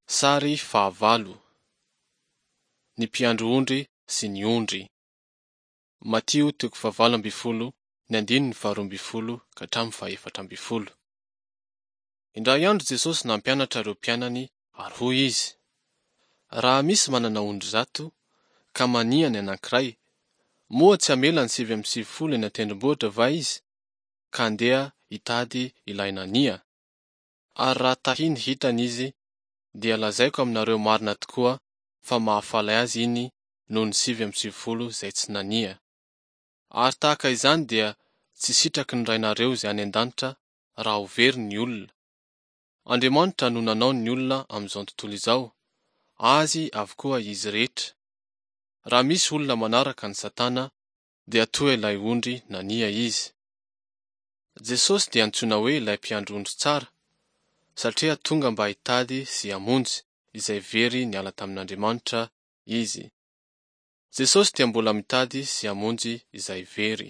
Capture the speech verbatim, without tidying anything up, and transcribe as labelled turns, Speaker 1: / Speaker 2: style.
Speaker 1: Sary fahavalo. Ny mpiandry ondry sy ny ondry. Matio toko fahavalo ambin'ny folo, ny andininy faharoa ambin'ny folo ka hatramin'ny fahefatra ambin'ny folo. Indray andro Jesosy nampianatra ireo mpianany ary hoy izy: Raha misy manana ondry zato, ka mania ny anankiray, moa tsy hamela ny sivy amby sivifolo eny an-tendrombohitra va izy, ka handeha hitady ilay nania? Ary raha tahiny hitany izy, dia lazaiko aminareo marina tokoa fa mahafaly azy iny noho ny sivy amby sivifolo izay tsy nania. Ary tahaka izany dia tsy sitraky ny Rainareo izay any an-danitra raha ho very ny olona. Andriamanitra no nanao ny olona amin'izao tontolo izao, azy avokoa izy rehetra. Raha misy olona manaraka an'i Satana, dia toa ilay ondry nania izy. Jesosy dia antsoina hoe ilay mpiandry ondry tsara, satria tonga mba hitady sy hamonjy izay very niala tamin'Andriamanitra izy. Jesosy dia mbola mitady sy hamonjy izay very.